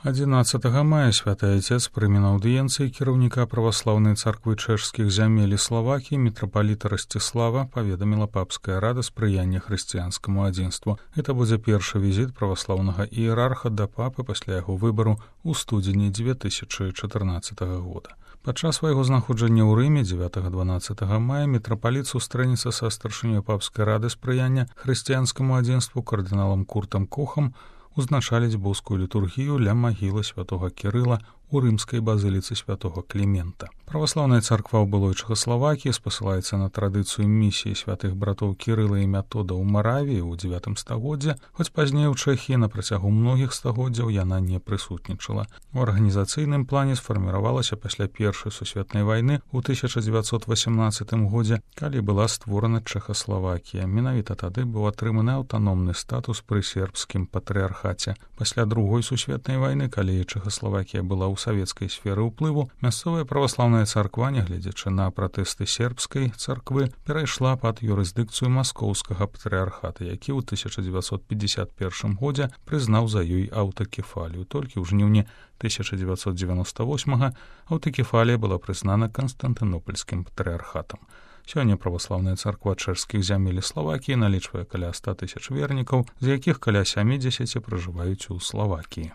11 мая святы отец прыме на аўдыенцыі кіраўніка праваслаўнай царквы чэшскіх зямель і Славакіі мітрапаліта Расціслава паведаміла папская рада спрыяння хрысціянскаму адзінству. Гэта будзе першы візіт праваслаўнага іерарха да папы пасля яго выбару ў студзені 2014 года. Падчас свайго знаходжання ў Рыме 9-12 мая мітрапаліт сустрэнецца са старшынёй папскай рады спрыяння хрысціянскаму адзінству кардыналам Куртам Кохам узначаліць боскую літургію ля магілы святога Кірыла у рымскай базыліцы святога Клімента. Праваслаўная царква ў былой Чэхаславакіі спасылаецца на традыцыю місіі святых братоў Кірыла і Метода ў Маравіі ў 9 стагоддзе, хоць пазней у Чэхіі на працягу многіх стагоддзяў яна не прысутнічала. У арганізацыйным плане сфарміравалася пасля Першай сусветнай вайны ў 1918 годзе, калі была створана Чэхаславакія. Менавіта тады быў атрыманы аўтаномны статус пры сербскім патрыархаце. Пасля Другой сусветнай вайны, калі Чэхаславакія была ў савецкай сферы ўплыву, мясцовая праваслаўная царква, нягледзячы на пратэсты сербскай царквы, перайшла пад юрысдыкцыю маскоўскага патрыархата, які ў 1951 годзе прызнаў за ёй аўтакефалію. Толькі ў жніўні 1998 аўтакефалія была прызнана Канстантынопольскім патрыархатам. Сёння праваслаўная царква чэшскіх зямель і Славакіі налічвае каля 100 000 вернікаў, з якіх каля 70 пражываюць у Славакіі.